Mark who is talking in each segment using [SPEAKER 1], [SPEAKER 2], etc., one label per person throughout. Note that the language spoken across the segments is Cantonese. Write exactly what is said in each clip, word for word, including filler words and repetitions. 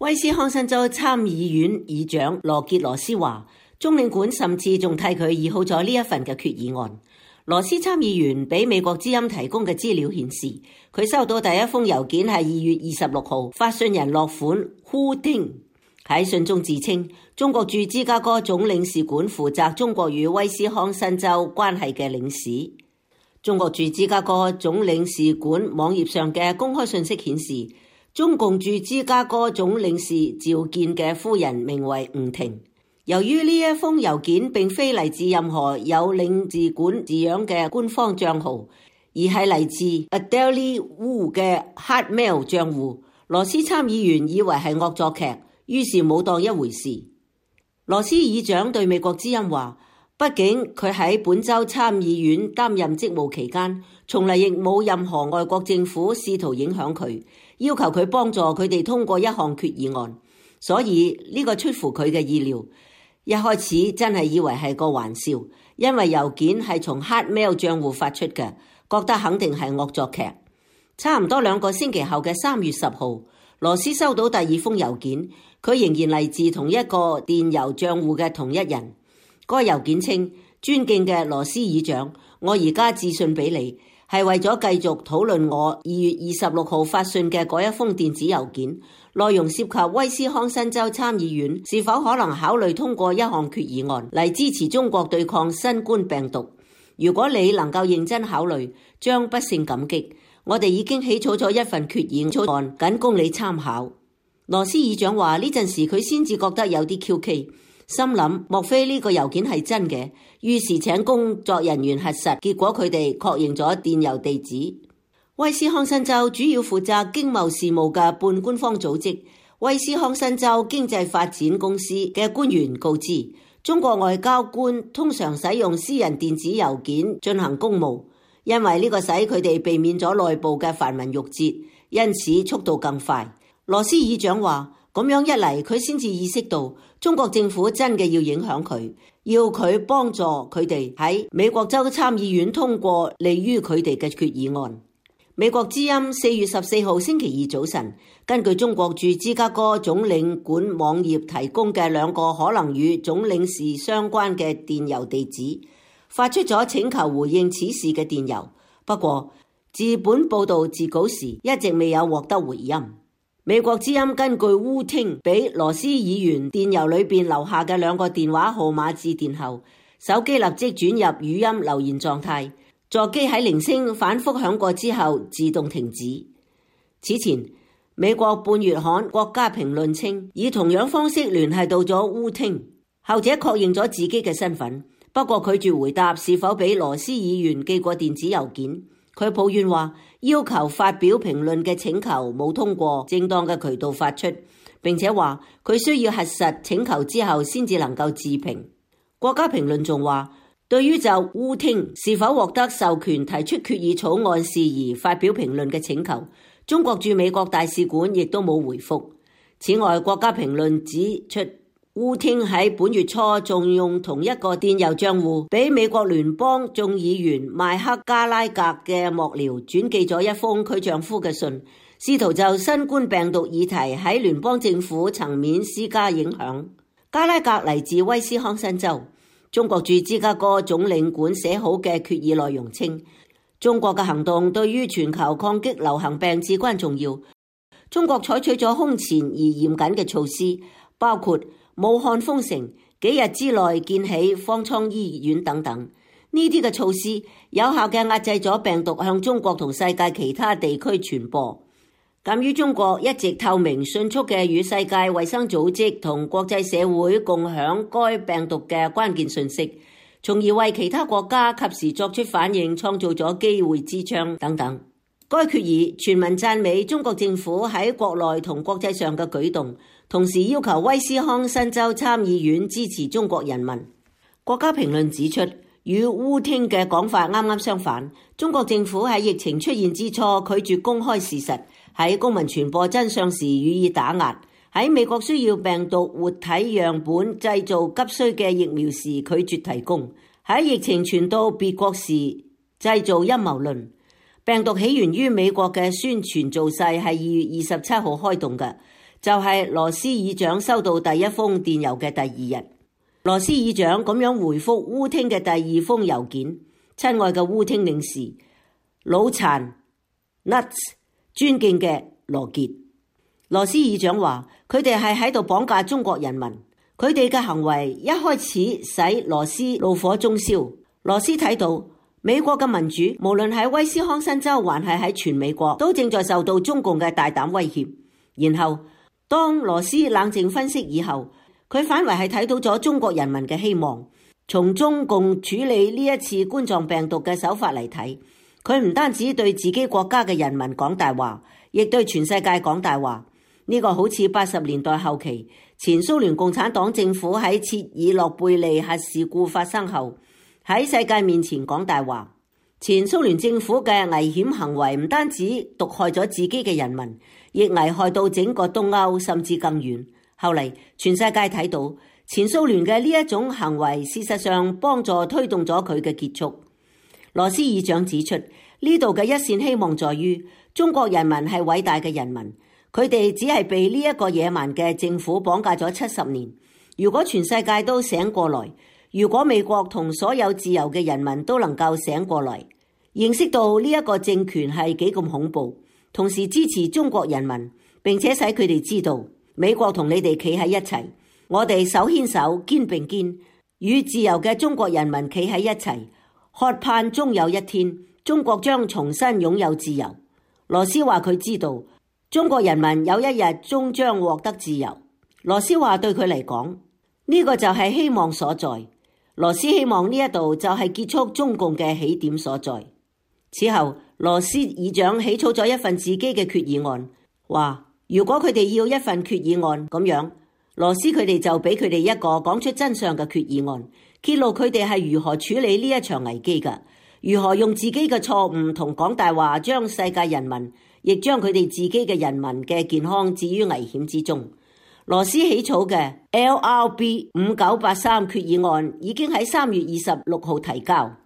[SPEAKER 1] 威斯康辛州參議院議長羅傑羅斯話，中領館甚至仲替佢擬好咗呢一份嘅決議案。羅斯參議員俾美國之音提供嘅資料顯示，佢收到第一封郵件係二月二十六號，發信人落款呼丁，喺信中自稱中國駐芝加哥總領事館負責中國與威斯康辛州關係嘅領事。中國駐芝加哥總領事館網頁上嘅公開信息顯示，中共駐芝加哥總領事召見嘅夫人名為吳婷。由於呢一封郵件並非嚟自任何有領事館字樣嘅官方賬號，而係嚟自 Adele Wu 嘅 Hotmail 賬戶，羅斯參議員以為係惡作劇，於是冇當一回事。羅斯議長對美國之音話，畢竟佢喺本州參議院擔任職務期間，從嚟亦冇任何外國政府試圖影響佢，要求佢幫助佢哋通過一項決議案，所以呢個出乎佢嘅意料。一開始真係以為係個玩笑，因為郵件係從 Hotmail 賬戶發出嘅，覺得肯定係惡作劇。差唔多兩個星期後嘅三月十號，羅斯收到第二封郵件，佢仍然嚟自同一個電郵賬戶嘅同一人。該郵件稱：尊敬嘅羅斯議長，我而家致信俾你，係為咗繼續討論我二月二十六號發信嘅嗰一封電子郵件，內容涉及威斯康辛州參議院是否可能考慮通過一項決議案嚟支持中國對抗新冠病毒。如果你能夠認真考慮，將不勝感激。我哋已經起草咗一份決議案，僅供你參考。羅斯議長話呢陣時佢先至覺得有啲蹊蹺。心諗莫非呢個郵件係真嘅，於是請工作人員核實，結果佢哋確認咗電郵地址。威斯康辛州主要負責經貿事務嘅半官方組織威斯康辛州經濟發展公司嘅官員告知，中國外交官通常使用私人電子郵件進行公務，因為呢個使佢哋避免咗內部嘅繁文縟節，因此速度更快。羅斯議長話，咁樣一嚟，佢先至意識到中國政府真嘅要影響佢，要佢幫助佢哋喺美國州參議院通過利於佢哋嘅決議案。美國之音四月十四號星期二早晨，根據中國駐芝加哥總領館網頁提供嘅兩個可能與總領事相關嘅電郵地址，發出咗請求回應此事嘅電郵。不過，自本報道截稿時一直未有獲得回音。美國之音根據烏聽俾羅斯議員電郵裏邊留下嘅兩個電話號碼致電後，手機立即轉入語音留言狀態，座機喺鈴聲反覆響過之後自動停止。此前，美國半月刊《國家評論》稱以同樣方式聯繫到咗烏聽，後者確認咗自己嘅身份，不過拒絕回答是否俾羅斯議員寄過電子郵件。佢抱怨話，要求發表評論嘅請求冇通過正當嘅渠道發出，並且話佢需要核實請求之後先至能夠置評。國家評論仲話，對於就烏聽是否獲得授權提出決議草案事宜發表評論嘅請求，中國駐美國大使館亦都冇回覆。此外，國家評論指出，烏聽喺本月初仲用同一個電郵賬戶俾美國聯邦眾議員邁克加拉格嘅幕僚轉寄咗一封佢丈夫嘅信，試圖就新冠病毒議題喺聯邦政府層面施加影響。加拉格嚟自威斯康辛州，中國駐芝加哥總領館寫好嘅決議內容稱，中國嘅行動對於全球抗擊流行病至關重要。中國採取咗空前而嚴謹嘅措施，包括武漢封城，幾日之內建起方艙醫院等等，呢啲嘅措施有效嘅壓制咗病毒向中國同世界其他地區傳播。鑒於中國一直透明迅速嘅與世界衛生組織同國際社會共享該病毒嘅關鍵信息，從而為其他國家及時作出反應創造咗機會之窗等等。該決議全文讚美中國政府喺國內同國際上嘅舉動，同時要求威斯康辛州參議院支持中國人民。國家評論指出，與烏聽嘅講法啱啱相反，中國政府喺疫情出現之初拒絕公開事實，喺公民傳播真相時予以打壓，喺美國需要病毒活體樣本製造急需嘅疫苗時拒絕提供，喺疫情傳到別國時製造陰謀論。病毒起源於美國嘅宣傳造勢係二月二十七號開動嘅，就係羅斯議長收到第一封電郵嘅第二日。羅斯議長咁樣回覆烏汀嘅第二封郵件：親愛嘅烏汀領事，腦殘 nuts， 尊敬嘅羅傑。羅斯議長話佢哋係喺度綁架中國人民，佢哋嘅行為一開始使羅斯怒火中燒。羅斯睇到美國嘅民主，無論喺威斯康辛州還係喺全美國，都正在受到中共嘅大膽威脅。然後當羅斯冷靜分析以後，佢反為係睇到咗中國人民嘅希望。從中共處理呢一次冠狀病毒嘅手法嚟睇，佢唔單止對自己國家嘅人民講大話，亦對全世界講大話。呢個好似八十年代後期前蘇聯共產黨政府喺切爾諾貝利核事故發生後喺世界面前講大話。前蘇聯政府嘅危險行為唔單止毒害咗自己嘅人民，亦危害到整個東歐，甚至更遠。後嚟全世界睇到前蘇聯嘅呢一種行為，事實上幫助推動咗佢嘅結束。羅斯議長指出，呢度嘅一線希望在於中國人民係偉大嘅人民，佢哋只係被呢一個野蠻嘅政府綁架咗七十年。如果全世界都醒過來，如果美國同所有自由嘅人民都能夠醒過來，認識到呢一個政權係幾咁恐怖，同時支持中國人民，並且使佢哋知道美國同你哋企喺一齊，我哋手牽手肩並肩，與自由嘅中國人民企喺一齊，渴盼終有一天中國將重新擁有自由。羅斯話佢知道中國人民有一日終將獲得自由。羅斯話對佢嚟講，呢個就係希望所在。羅斯希望呢一度就係結束中共嘅起點所在。此後羅斯議長起草咗一份自己嘅決議案，話如果佢哋要一份決議案咁樣，羅斯佢哋就俾佢哋一個講出真相嘅決議案，揭露佢哋係如何處理呢一場危機嘅，如何用自己嘅錯誤同講大話將世界人民，亦將佢哋自己嘅人民嘅健康置於危險之中。羅斯起草嘅 L R B 五九八三決議案已經喺三月二十六號提交。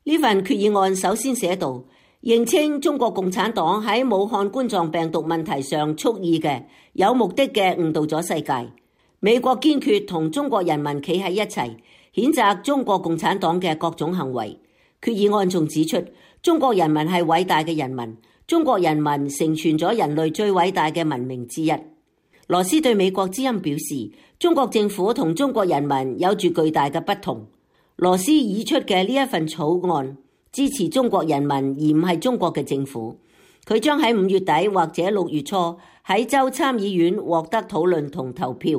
[SPEAKER 1] 呢份決議案首先寫道，認清中國共產黨喺武漢冠狀病毒問題上蓄意嘅、有目的嘅誤導咗世界。美國堅決同中國人民企喺一齊，譴責中國共產黨嘅各種行為。決議案仲指出，中國人民係偉大嘅人民，中國人民成全咗人類最偉大嘅文明之一。羅斯對美國之音表示，中國政府同中國人民有住巨大嘅不同。羅斯擬出嘅呢一份草案支持中國人民，而唔係中國嘅政府。佢將喺五月底或者六月初喺州參議院獲得討論同投票。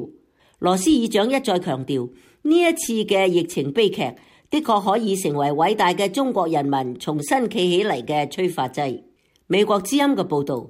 [SPEAKER 1] 羅斯議長一再強調，呢一次嘅疫情悲劇的確可以成為偉大嘅中國人民重新企起嚟嘅催化劑。美國之音嘅報導。